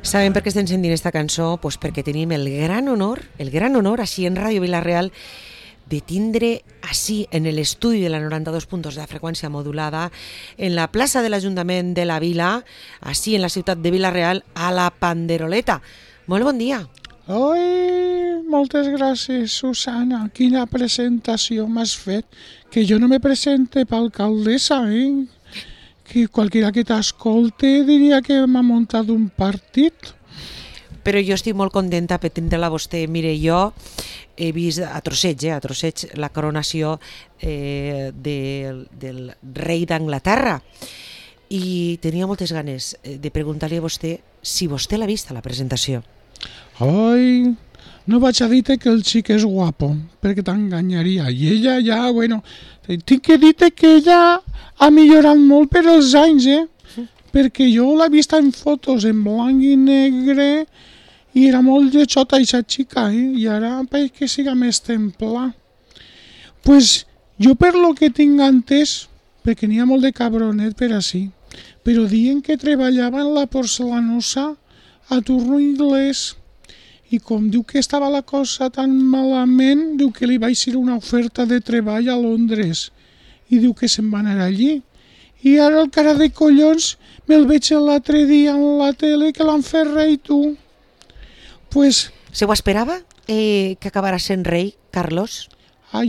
Sabem per què estem sentint aquesta cançó? Pues perquè tenim el gran honor, així en Ràdio Vila-real, de tindre així en l'estudi de la 92.2 de la freqüència modulada, en la plaça de l'Ajuntament de la Vila, així en la ciutat de Vila-real, a la Panderoleta. Molt bon dia. Oi, moltes gràcies, Susana. Quina presentació m'has fet. Que jo no me presente per alcaldessa, Que qualquiera que t'escolte diria que m'ha muntat un partit. Però jo estic molt contenta per tindre-la vostè. Mire, jo he vist a trosseig la coronació del rei d'Anglaterra i tenia moltes ganes de preguntar-li a vostè si vostè l'ha vist a la presentació. Ai, no vaig a dir-te que el xic és guapo, perquè t'enganyaria. I ella ja, bueno, tinc que dir-te que ella ha millorat molt per els anys, perquè jo l'he vist en fotos en blanc i negre i era molt lletjota aquesta xica, i ara pareix que siga més templà. Pues jo per lo que tinc entès, perquè n'hi ha molt de cabronet per així, però diuen que treballava en la porcelanosa a turno inglès. I com diu que estava la cosa tan malament, diu que li va eixir una oferta de treball a Londres. I diu que se'n va anar allí. I ara el cara de collons me'l veig l'altre dia en la tele que l'han fet rei, tu. Pues... Se ho esperava que acabara sent rei, Carlos?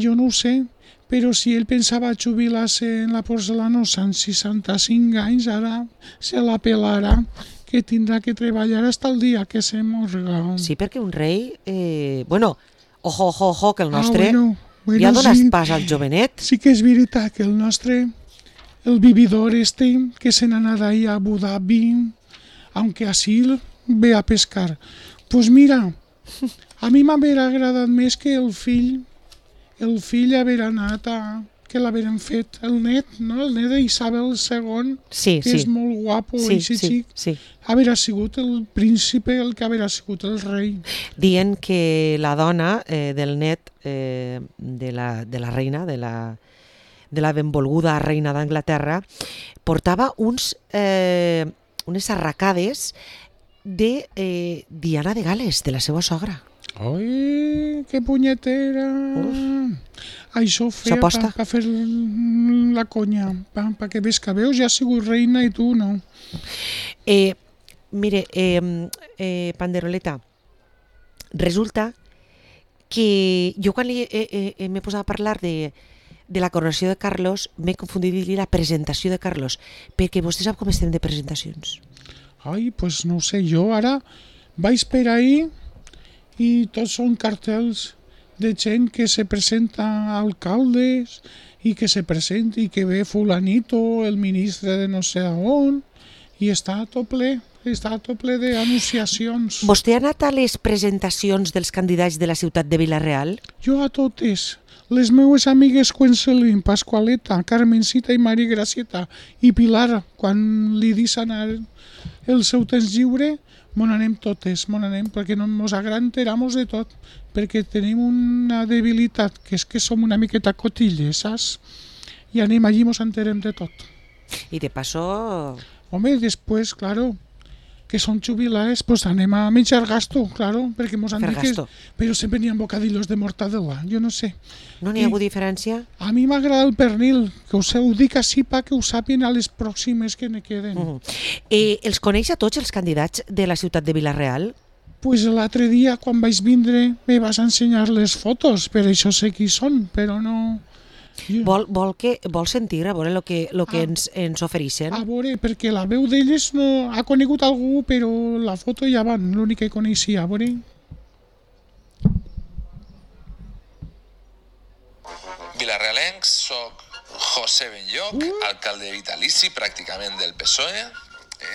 Jo no ho sé, però si ell pensava jubilar-se en la porcelanosa en 65 anys, ara se la pelarà, que tindrà que treballar fins el dia que se morga. Sí, perquè un rei... Ojo, que el nostre bueno, ja dones sí, pas al jovenet. Sí que és veritat que el nostre, el vividor que se n'ha anat ahí a Abu Dhabi, aunque así ve a pescar. Pues mira, a mi m'hauria agradat més que el fill haver anat que l'haveren fet, el net, no? El net d'Isabel II, que és molt guapo, sí. Haver sigut el príncipe, el que haver sigut el rei. Dient que la dona del net de la reina, de la benvolguda reina d'Anglaterra, portava unes arracades de Diana de Gal·les, de la seva sogra. Ai, que punyetera! Això ho feia per fer la conya, perquè ves que veus, ja ha sigut reina i tu no. Mire, Panderoleta, resulta que jo quan m'he posat a parlar de la coronació de Carlos m'he confundit i dir la presentació de Carlos, perquè vostè sap com estem de presentacions. Ai, pues no ho sé, jo ara vaig per ahí i tots són cartells de gent que se presenta a alcaldes i que se presenta i que ve fulanito, el ministre de no sé on, i està tot ple d'anunciacions. Vostè ha anat a les presentacions dels candidats de la ciutat de Vila-real? Jo a totes. Les meues amigues Cuencelín, Pasqualeta, Carmencita i Maria Gracieta i Pilar, quan li deixen el seu temps lliure, mon anem totes, perquè no ens agranteramos de tot, perquè tenim una debilitat, que és que som una miqueta cotilles, saps? I anem allí i ens enterem de tot. I de paso... Home, després, claro, que són jubilades, pues anem a menjar gasto, claro, perquè ens han dit que... Però sempre n'hi ha bocadillos de mortadela, jo no sé. No n'hi ha hagut diferència? A mi m'agrada el pernil, que ho dic així perquè ho sàpien a les pròximes que ne queden. Els coneix a tots els candidats de la ciutat de Vila-real? Pues l'altre dia, quan vaig vindre, me vas ensenyar les fotos, per això sé qui són, però no... Vol sentir, a veure el que ens ofereixen? A veure, perquè la veu d'elles no ha conegut algú, però la foto ja van, l'únic que coneixia, a veure... Vilarealencs, soc José Benlloc, alcalde vitalici pràcticament del PSOE,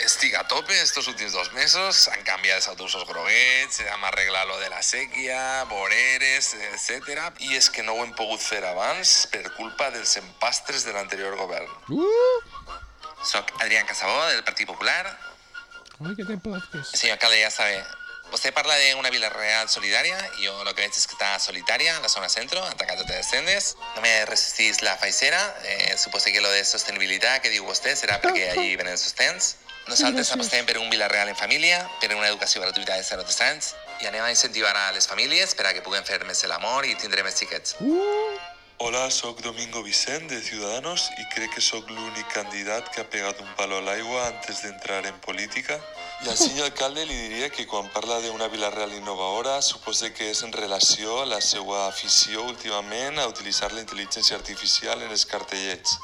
Estic a tope estos últims 2 mesos, s'han canviat els autobusos groguets, hem arreglat lo de la sèquia, voreres, etc. I és que no ho hem pogut fer abans per culpa dels empastres de l'anterior govern. Soc Adrián Casabó, del Partit Popular. Ai, què te plaques? Señor alcalde, ya sabe, usted parla de una Vila Real solidaria, y yo lo que veig es que está solitaria en la zona centro, atacando te descendes. No me resistís la faixera, supose que lo de sostenibilitat que diu vostè serà perquè allí venen els sostens. Nosaltres apostem per un Vila Real en família, per una educació gratuïta de 0 a 3 anys, i anem a incentivar a les famílies per a que puguen fer més l'amor i tindre més xiquets. Hola, soc Domingo Vicent, de Ciudadanos, i crec que sóc l'únic candidat que ha pegat un palo a l'aigua antes d'entrar en política. I al senyor alcalde li diria que quan parla d'una Vila Real innovadora supose que és en relació a la seva afició últimament a utilitzar la intel·ligència artificial en els cartellets.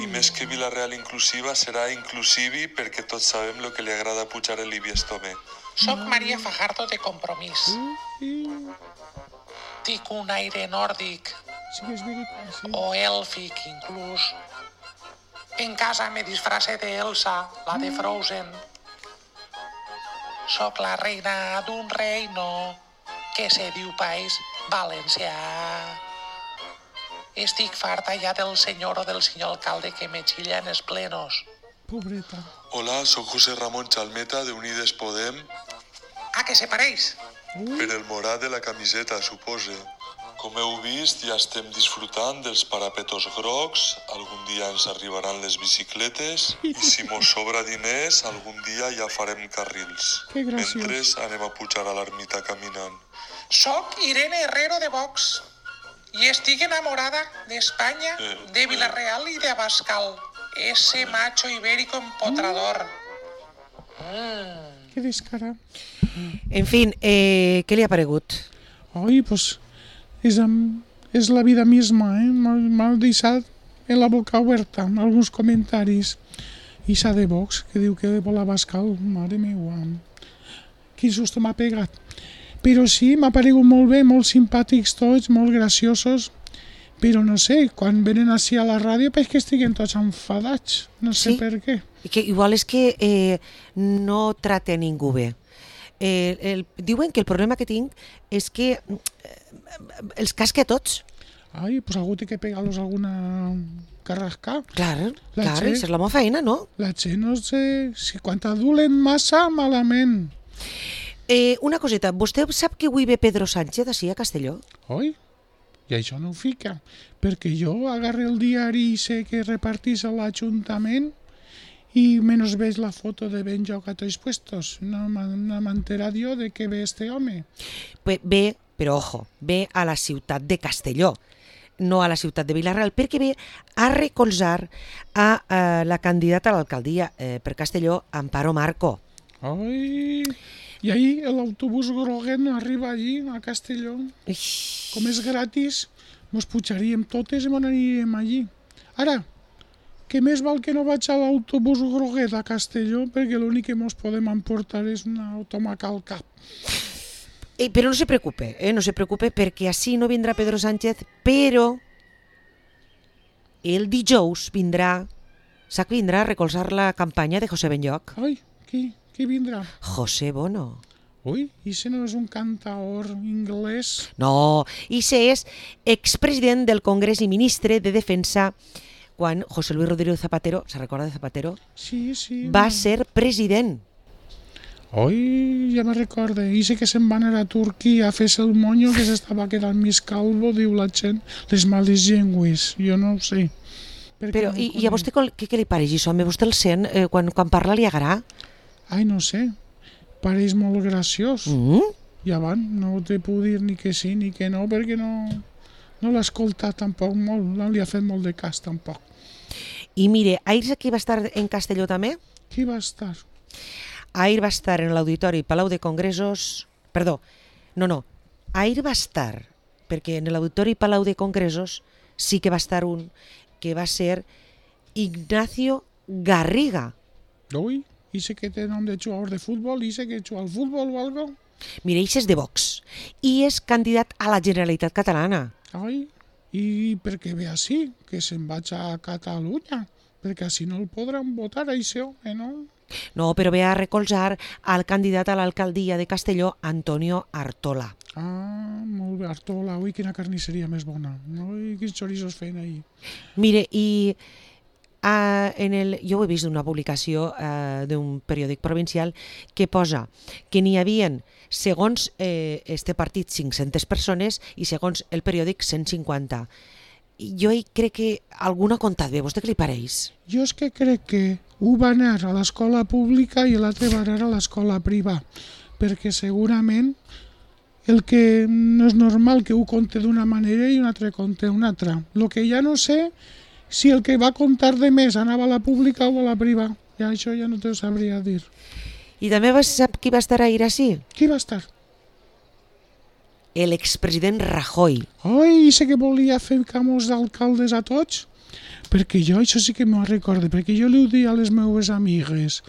I més que Vila Real inclusiva serà inclusivi perquè tots sabem lo que li agrada pujar el Ibiestome. Soc Maria Fajardo de Compromís. Tinc un aire nòrdic Sí que és veritat, sí. o èlfic inclús. En casa me disfrace de Elsa, la de Frozen. Soc la reina d'un reino que se diu País Valencià. Estic farta ja del senyor o del senyor alcalde que me xilla en els plenos. Pobreta. Hola, soc José Ramón Chalmeta, de Unides Podem, Ah, que se pareix? per el morat de la camiseta, supose. Com heu vist, ja estem disfrutant dels parapetos grocs, algun dia ens arribaran les bicicletes i si mos sobra diners, algun dia ja farem carrils. Que graciós. Mentre anem a pujar a l'ermita caminant. Soc Irene Herrero de Vox i estic enamorada d'Espanya, de Vila-real i de Abascal. Ese macho ibérico empotrador. Que descarat. En fin, què li ha paregut? Ai, pues és la vida misma, eh? M'ha deixat en la boca oberta alguns comentaris. Ixa de Vox, que diu que vol Abascal, mare meua. Quin susto m'ha pegat. Però sí, m'ha paregut molt bé, molt simpàtics tots, molt graciosos. Però no sé, quan venen així a la ràdio és que estiguen tots enfadats. No sé Sí? per què. Que igual és que no trate a ningú bé. Diuen que el problema que tinc és que els casca a tots. Ai, pues algú té que pegar-los alguna carrasca. Clar, La clar, Txell. és la meva feina, no? La gent, no sé, si quan t'adulen massa, malament. Una coseta, vostè sap que avui ve Pedro Sánchez així a Castelló? Oi? I això no ho fica, perquè jo agarré el diari i sé que repartís a l'Ajuntament i menys veig la foto de ben joc a tots puestos. No m'he enterat jo de que ve este home. Ve, però ojo, ve a la ciutat de Castelló, no a la ciutat de Vila-real, perquè ve a recolzar a la candidata a l'alcaldia per Castelló, Amparo Marco. Ai... I ahir l'autobús groguet no arriba allí, a Castelló. Ix, Com és gratis, mos pujaríem totes i m'aniríem allí. Ara, que més val que no vaig a l'autobús groguet a Castelló, perquè l'únic que mos podem emportar és una automaca al cap. Però no se preocupe, no se preocupe, perquè així no vindrà Pedro Sánchez, però el dijous vindrà, sap que vindrà a recolzar la campanya de José Benlloc. Ai, qui vindrà? José Bono. Ui, i si no és un cantaor anglès? No, i se és expresident del Congrés i ministre de Defensa quan José Luis Rodríguez Zapatero, se recorda de Zapatero? Sí, sí. Va ser president. Oi, ja me recorde. I sé que se'n van anar a Turquia a fer-se el monyo, que s'estava quedant més calvo, diu la gent, les males llengües. Jo no ho sé. Però, i a vostè què li pareix això? A vostè el sent? Quan parla li agrada? Ai, no sé. Pareix molt graciós. I abans no te puc dir ni que sí ni que no, perquè no l'ha escoltat tampoc molt, no li ha fet molt de cas tampoc. I mire, ahir aquí va estar en Castelló també? Qui va estar? Ahir va estar en l'Auditori Palau de Congressos... Perdó, no. Ahir va estar, perquè en l'Auditori Palau de Congressos sí que va estar un que va ser Ignacio Garriga. Ui, i sé que té nom de jugador de futbol, i sé que juga al futbol o algo. Mira, és de Vox i és candidat a la Generalitat Catalana. Ai, i per què ve així? Que se'n vaig a Catalunya, perquè així no el podran votar, això, no? No, però ve a recolzar al candidat a l'alcaldia de Castelló, Antonio Artola. Ah, molt bé, Artola, ui, quina carnisseria més bona. Ui, quins xorizos feien ahir. Mire, i jo ho he vist d'una publicació d'un periòdic provincial que posa que n'hi havien, segons este partit, 500 persones i segons el periòdic 150. Jo crec que algú ha comptat bé, vostè què li pareix? Jo és que crec que un va anar a l'escola pública i l'altre va anar a l'escola privada, perquè segurament el que no és normal que un conte d'una manera i un altre conte d'una altra. El que ja no sé si el que va contar de més anava a la pública o a la privada. Ja això ja no t'ho sabria dir. I també sap qui va estar ahir així? Qui va estar? L'expresident Rajoy. Ai, sé que volia fer camós d'alcaldes a tots, perquè jo això sí que m'ho recordo, perquè jo li ho dia a les meues amigues.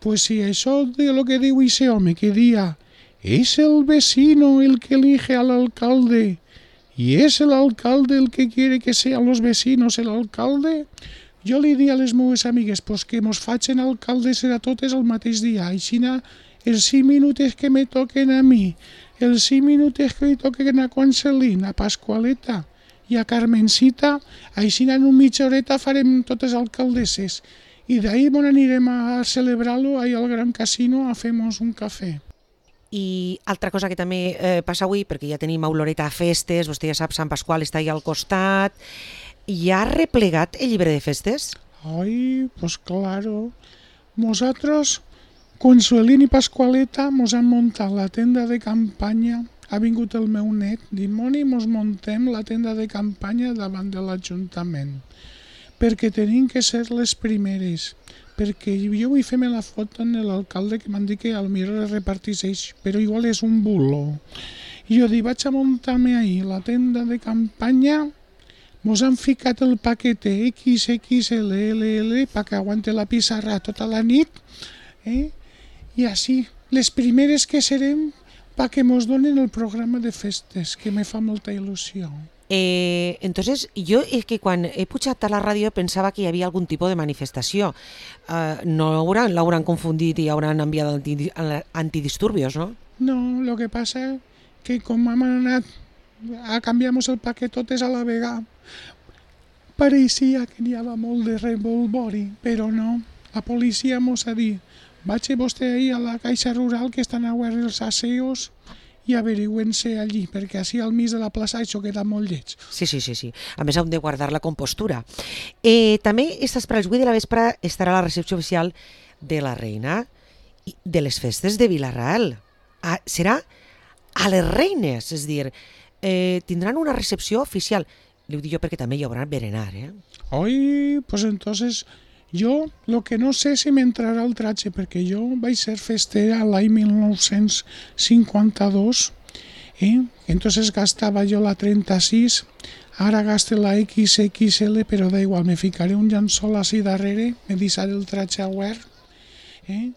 Pues si això de lo que diu ese home, que dia es el vecino el que elige al alcalde y es el alcalde el que quiere que sean los vecinos el alcalde, jo li dia a les meues amigues pues que mos facin alcaldes a totes el mateix dia, aixina els 5 minuts que me toquen a mi, els 5 minuts que li toquen a Concelín, a Pascualeta i a Carmencita, així en una mitja horeta farem totes alcaldesses. I d'ahir anirem a celebrar-lo ahí al Gran Casino a fer-nos un cafè. I altra cosa que també passa avui, perquè ja tenim a Oloreta a festes, vostè ja sap, Sant Pasqual està allà al costat, i ha replegat el llibre de festes? Ai, pues claro. Nosaltres, Consuelín i Pascualeta, mos han muntat la tenda de campanya. Ha vingut el meu net, diu, Moni, mos muntem la tenda de campanya davant de l'Ajuntament, perquè tenim que ser les primeres, perquè jo vull fer-me la foto amb l'alcalde que m'han dit que potser reparteix, però igual és un bulo. I jo dic, vaig a muntar-me ahir la tenda de campanya, mos han ficat el paquete XXLLL perquè aguante la pissarra tota la nit, i així, les primeres que serem perquè mos donen el programa de festes, que me fa molta il·lusió. Entonces, jo és que quan he pujat a la ràdio pensava que hi havia algun tipus de manifestació. No l'hauran confundit i hauran enviat antidisturbios, no? No, lo que passa que com hem anat a canviar-nos el paquetotes a la vegada, pareixia que n'hi havia molt de revolvori, però no. La policia mos ha dit, vaig vostè ahir a la caixa rural que estan a guardar els aseos i averigüen-se allí, perquè així al mig de la plaça això queda molt lleig. Sí. A més, hem de guardar la compostura. També estas per als 8 de la vespre estarà la recepció oficial de la reina de les festes de Vila-real. Serà a les reines, és a dir, tindran una recepció oficial. Li ho dic jo perquè també hi haurà berenar, Oi, pues entonces jo lo que no sé si m'entrarà el tratge, perquè jo vaig ser festera l'any 1952, entonces gastava jo la 36, ara gaste la XXL, però da igual, me ficaré un llençol així darrere, me deixaré el tratge a guard, i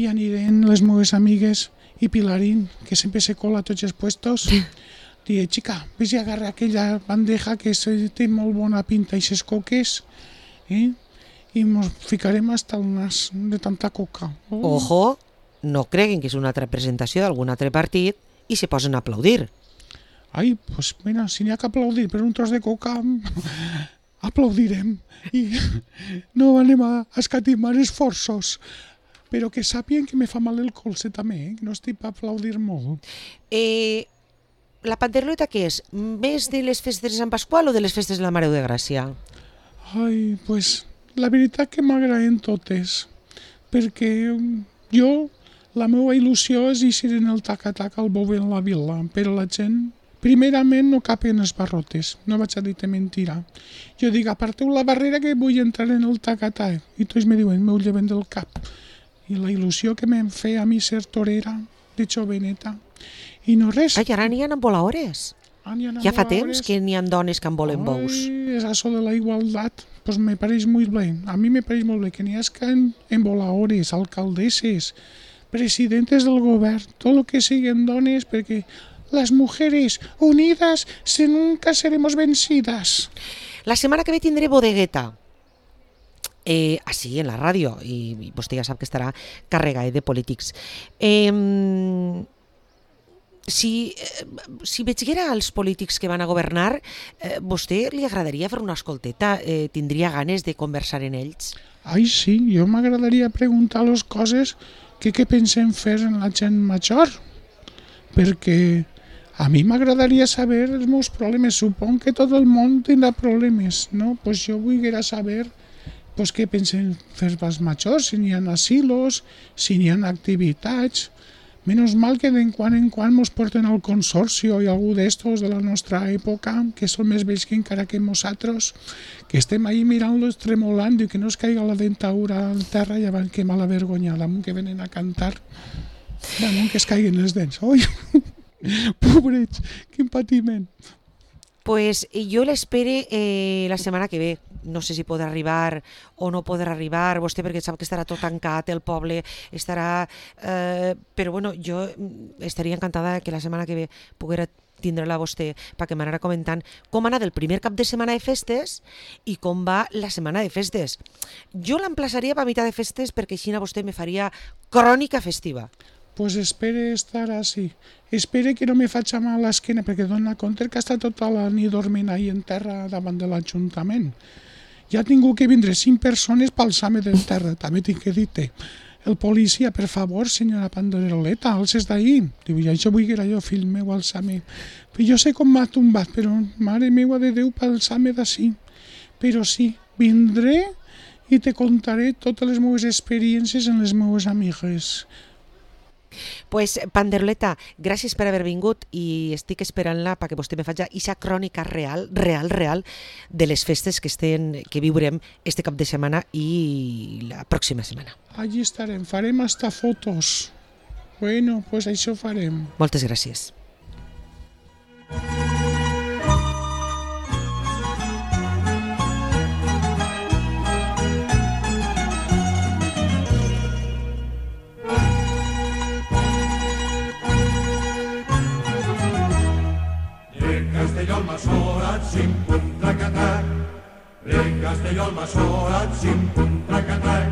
anirem les meves amigues i Pilarín, que sempre se cola a tots els puestos, diré, xica, ves i agarra aquella bandeja que té molt bona pinta i ses coques, i ens ficarem hasta el nas de tanta coca. Ojo, no creguin que és una altra presentació d'algun altre partit i se posen a aplaudir. Ai, pues mira, si n'hi ha que aplaudir per un tros de coca, aplaudirem i no anem a escatimar esforços. Però que sàpien que me fa mal el colze també, no estic per aplaudir molt. La panderleta què és? Més de les festes de Sant Pasqual o de les festes de la Mare de Gràcia? Ai, pues la veritat que m'agraden totes, perquè jo, la meva il·lusió és eixir en el taca-taca al bou en la vila, però la gent, primerament, no capen els barrotes, no vaig a dir-te mentira. Jo dic, aparteu la barrera que vull entrar en el taca-taca, i tots me diuen, m'ho lleven del cap. I la il·lusió que me'n feia a mi ser torera, de joveneta, i no res. Ai, ara n'hi ha envolaores. Ja fa temps que n'hi ha dones que en volen bous. Ai, és això de la igualtat. Pues me pareix molt bé. A mi me pareix molt bé que n'hi hagi envolaores, alcaldesses, presidentes del govern, tot el que siguin dones, perquè les mujeres unidas nunca seremos vencidas. La setmana que ve tindré bodegueta. així en la ràdio, i vostè ja sap que estarà carregat de polítics. Si veiera els polítics que van a governar, vostè li agradaria fer una escolteta? Tindria ganes de conversar en ells? Ai, sí, jo m'agradaria preguntar les coses que pensem fer en la gent major, perquè a mi m'agradaria saber els meus problemes. Supon que tot el món tindrà problemes, no? Pues jo volguera saber què pensen fer els majors, si n'hi ha asilos, si n'hi ha activitats. Menys mal que de quan en quan ens porten al consorci i algú d'estos de la nostra època, que són més vells que encara que nosaltres, que estem ahí mirant-los tremolant i que no es caiga la dentadura al terra i abans que mala vergonya, damunt que venen a cantar, damunt que es caiguen els dents. Oi, pobrets, quin patiment. Pues jo l'espere la setmana que ve. No sé si podrà arribar o no podrà arribar, vostè perquè sap que estarà tot tancat, el poble estarà... però bueno, jo estaria encantada que la setmana que ve poguera tindre-la vostè perquè m'anara comentant com ha anat el primer cap de setmana de festes i com va la setmana de festes. Jo l'emplaçaria per mitjà de festes perquè així vostè me faria crònica festiva. Pues espere estar així. Espere que no me faci mal a l'esquena, perquè dona compte que està tota la nit dormint ahí en terra davant de l'Ajuntament. Ja ha tingut que vindre 5 persones per alçar-me del terra, també tinc que dir-te. El policia, per favor, senyora Panderoleta, alces d'ahir. Diu, ja això vull que era jo, fill meu, alçar-me. Però jo sé com m'ha tombat, però mare meua de Déu, per alçar-me d'ací. Però sí, vindré i te contaré totes les meves experiències en les meves amigues. Pues, Panderoleta, gràcies per haver vingut i estic esperant-la perquè vostè me faci aquesta crònica real de les festes que viurem este cap de setmana i la pròxima setmana. Allí estarem, farem hasta fotos. Bueno, pues això farem. Moltes gràcies. Castelló al Masorat, sin puntracatac. Castelló al Masorat, sin puntracatac.